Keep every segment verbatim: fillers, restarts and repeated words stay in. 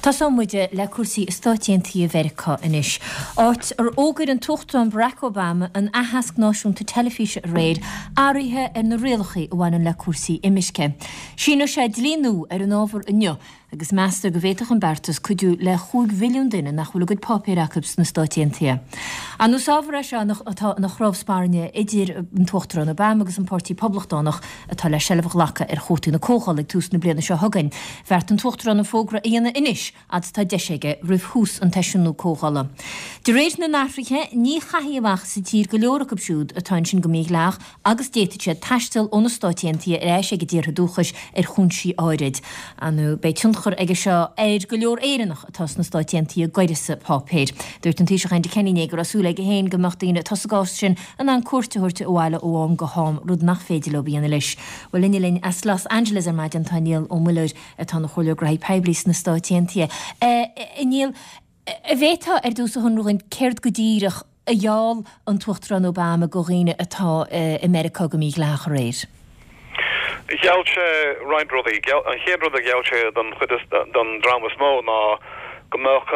Tosóidh muid le cúrsaí i Stáit Aontaithe Mheiriceá anois, áit ar fhógair an tUachtarán Barack Obama an aitheasc náisiúnta teilifíse aréir, athruithe ar na rialacha a bhaineann le cúrsaí imirce. Síneoidh sé dlí nua ar an ábhar inniu agus meastar go bhféadfadh an beartas cuidiú le chúig mhilliún duine nach bhfuil a gcuid páipéir acu sna Stáit Aontaithe. Ar ndóigh is ábhar é seo atá ina chnámh spairne idir an tUachtarán Obama agus an Páirtí Poblachtánach atá le seilbh a ghlacadh ar chumhachtaí na Comhdhála ag tús na bliana seo chugainn. Bheartaigh an tUachtarán an fógra a dhéanamh anois fhad is atá deis aige roimh thús an tseisiúin nua Comhdhála. De réir na n-athruithe, ní chaithfí amach as an tír go leor acu siúd atá ansin go mídhleathach agus d'fhéadfadh siad taisteal ó na Stáit Aontaithe ar ais ag a dtíortha dúchais ar chúinsí áirid. Ar ndóigh beidh tionchar aige seo ar go leor Éireannach atá sna Stáit Aontaithe d'uireasa páipéir. Dúirt an Taoiseach Enda Kenny inné go raibh súil aige féin go mbeadh daoine atá sa gcás sin in ann cuairt a thabhairt abhaile ó am go ham, rud nach féidir leo a dhéanamh anois. Bhuel inniu linn as Los Angeles ar maidin tá Niall Ó Muilleoir atá ina chomhairleoir graithí poiblí sna Stáit Aontaithe. A Niall, an bhféadfá ar dtús a shonrú dhúinn céard go díreach a gheall an tUachtarán Obama go dhaoine atá i Meiriceá go mídhleathach aréir? Gheall sé roinnt rudaí. An chéad rud a gheall sé don chuid is don dream is mó ná go mbeadh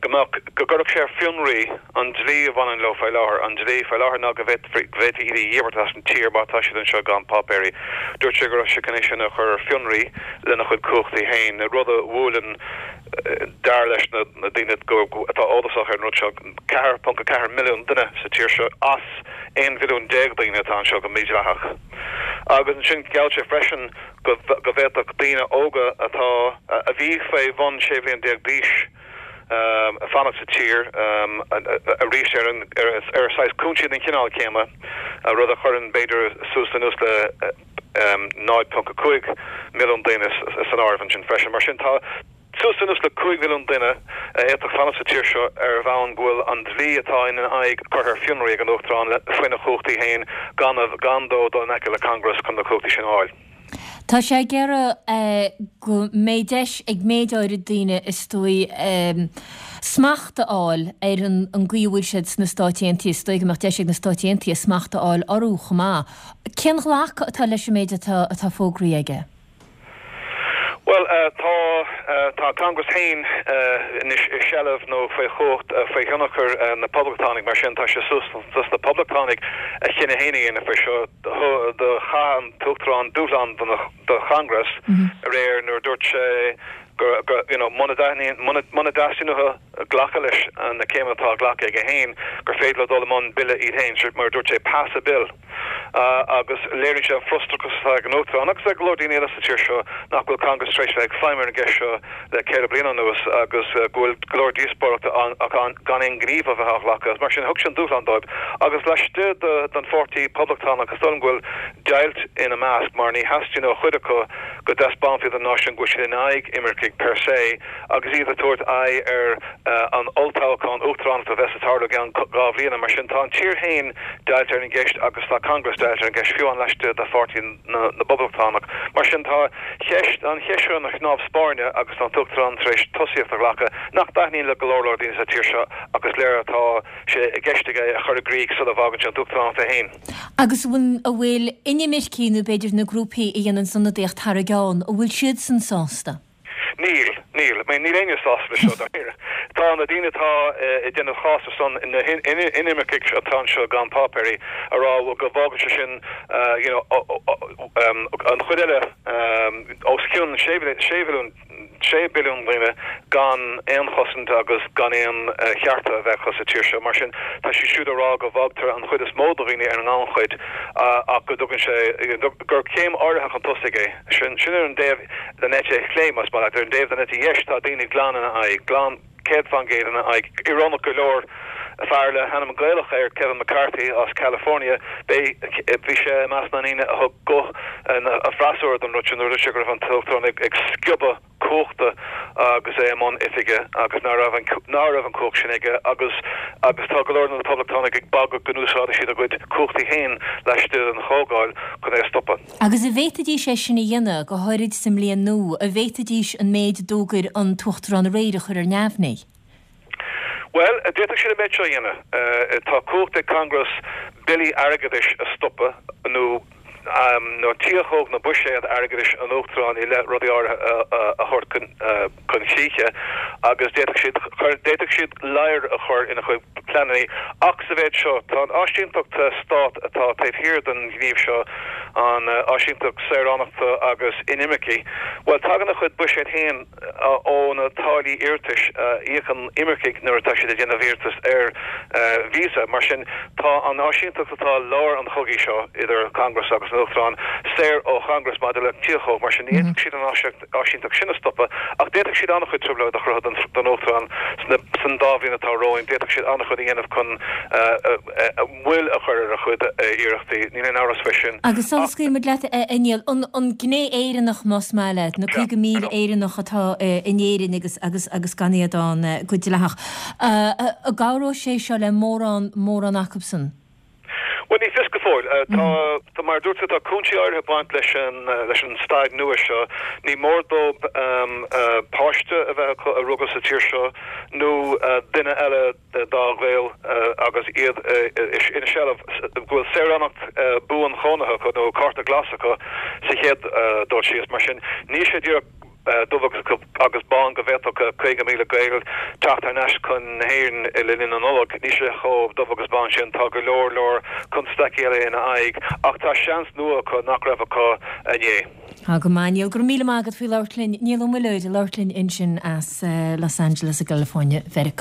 go mbeadh go gcuirfeadh sé ar fionraí an dlí a bhaineann leo faoi láthair. An dlí faoi láthair ná go bhféadfaí go bhféadfaí iad a dhíbirt as an tír má tá siad anseo gan páipéirí. Dúirt sé go raibh sé chun é sin a chur ar fionraí lena chuid cumhachtaí féin, rud a bhuaileann dar leis na daoine atá eolasach ar an rud seo, ceathair ponc a ceathair milliún duine sa tír seo as aon mhilliún déag daoine atá anseo go mídhleathach. Agus ansin gheall sé freisin go go bhféadfadh daoine óga atá a bhí faoi bhun sé bhliain déag d'aois fanacht sa tír arís ar an ar saghas cúinsí den chineál céanna, rud a chuireann b'fhéidir suas anuas le náid ponc a cúig milliún daoine san áireamh ansin freisin. Mar sin tá suas anuas le cúig mhilliún duine a fhéadfadh fanacht sa tír seo ar bhonn go bhfuil an dlí atá ina n-aghaidh curtha ar fionraí ag an Uachtarán faoina chumhachtaí féin gan gan dó dul in aice le Congress chun na cumhachtaí sin a fháil. Tá sé ag iarraidh go mbeidh deis ag méid áirid daoine is dóigh smacht a fháil ar an gcaoi a bhfuil siad sna Stáit Aontaithe, is dóigh go mbeadh deis ag na Stáit Aontaithe smacht a fháil orthu chomh maith. Cén ghlacadh atá leis an méid atá atá fógraithe aige? Bhuel, tá tá Congress féin anois i seilbh nó faoi chumhacht, faoi thionchar na Poblachtánaigh, mar sin tá sé suas dos na Poblachtánaigh a chinneadh féin a dhéanamh faoi seo. Do chaith an tUachtarán dúshlán do Chongress aréir nuair a dúirt sé go go you know muna dtaitníonn muna muna dteastaíonn uathu glacadh leis na céimeanna atá glactha aige féin gur féidir leo dul i mbun bille iad féin, mar a dúirt sé pass a bill. Agus léiríonn sé an frustrachas atá ag an Uachtarán agus ag go leor daoine eile sa tír seo nach bhfuil Congress tar éis bheith ag feidhmiú ar an gceist seo le ceithre bliana anuas agus go bhfuil go leor díospóireachta ann ach gan aon ghníomh a bheith á ghlacadh. Agus mar sin, thug sé an dúshlán dóibh. Agus laistigh den pháirtí Poblachtánach, is dóigh liom go bhfuil deighilt ina measc mar ní theastaíonn ó chuid acu go dtaispeánfaí don náisiún go bhfuil siad in aghaidh imircigh per se agus iad ag tabhairt aghaidh ar an olltoghchán uachtaránachta a bheas ag tarlú i gceann dhá bhliana. Mar sin, tá an tír féin deighilte ar an gceist agus tá Congress deighilte ar an gceist, fiú amháin laistigh de Pháirtí na bPoblachtánach. Mar sin, tá ceist, an cheist seo ina chnámh spairne agus tá an tUachtarán tar éis tosaíocht a ghlacadh nach dtaitníonn le go leor leor daoine sa tír seo ach is léir atá sé i gceist aige a chur i gcrích sula bhfágann sé an t-uachtaránacht é féin. Agus an bhfuil inimircigh nó b'fhéidir na grúpaí a dhéanann ionadaíocht thar a gceann, an bhfuil siadsan sásta? Níl, níl. I mean, níl éinne sásta leis seo, dáiríre. Tá na daoine atá ag déanamh cás ar son na hinimircigh atá anseo gan páipéirí a rá go bhfágann sé sin you know an chuid eile os cionn sé mhilliún, sé billiún daoine gan aon chosaint agus gan aon chearta a bheith acu sa tír seo. Mar sin, tá siad siúd ag rá go bhfágtar an chuid is mó de dhaoine ar an ngannchuid ach go dtugann sé, gur céim áirithe chun tosaigh é. Sin ar an dtaobh den eite chlé, más maith leat. Ar an dtaobh den eite dheis, tá daoine glan ina aghaidh, glan céad faoin gcéad ina aghaidh. Íorónach go leor, fear le hainm Gaelach air, Kevin McCarthy as California, b'é, bhí sé i measc na ndaoine a thug guth an fhreasúra don rud sin nuair a dúirt sé go raibh an tUachtarán ag sciobadh cumhachta agus é i mbun oifige agus ná raibh an ná raibh an chumhacht sin aige agus agus tá go leor de na Poblachtánaigh ag bagairt go n-úsáidfidh siad a gcuid cumhachtaí féin laistigh den Chomhdháil chun é a stopadh. Agus an bhféadfaidís é sin a dhéanamh, go háirid sa mbliain nua, an bhféadfaidís an méid a d'fhógair an tUachtarán aréir a chur ar neamhní? Bhuel, d'fhéadfadh siad an méid seo a dhéanamh. Tá cumhacht ag Congress billí airgeadais a stopadh nó nó tiachóg nó buiséad airgeadais an Uachtaráin i leith rudaí áirithe a thabhairt chun críche agus d'fhéadfadh siad d'fhéadfadh siad ladhar a chur ina chuid pleananna. Ach sa mhéid seo, tá an áisínteacht stáit atá taobh thiar den ghníomh seo, an áisínteacht saoránachta agus inimirce, bhuel tagann a chuid buiséad féin ó na táillí iarratais a íocann imircigh nuair atá siad ag déanamh iarratas ar víosa. Mar sin, tá an áisínteacht atá i lár an chogaidh seo idir Congress agus an Uachtarán saor ó Chongress maidir le tiachóg. Mar sin, ní fhéadfadh siad an áisínteacht sin a stopadh, ach d'fhéadfadh siad an-chuid trioblóid a chruthú don Uachtarán san dá bhliain atá romhainn. D'fhéadfadh siad an-chuid a dhéanamh chun moill a chur ar a chuid iarrachtaí, níl aon amhras faoi sin. Agus sula scaoilfidh muid leat, a Niall, an gné Éireannach más maith leat, na caoga míle Éireannach atá in Éirinn agus agus agus gan iad ann go dleathach, an gcabhróidh sé seo le mórán mórán acubsan? Bhuel, ní fios go fóill. Tá, mar a dúirt tú, tá cúinsí áirithe ag baint leis an leis an staid nua seo. Ní mór dóibh páiste a bheith acu a rugadh sa tír seo nó duine eile dá ghaol agus iad ina seilbh, go bhfuil saoránacht buanchónaithe acu nó cárta glas acu sa chéad dul síos. Mar sin, níl sé díreach dubh agus bán go bhféadfadh caoga míle Gael teacht thar n-ais chun na hÉireann le linn na Nollag. Níl sé chomh dubh agus bán sin, tá go leor leor constaicí eile ina aghaidh ach tá seans nua acu nach raibh acu inné. Tá go maith, Niall. Go raibh míle maith agat faoi labhairt linn. Niall Ó Muilleoir ag labhairt linn ansin as Los Angeles i gCalifornia, Mheiriceá.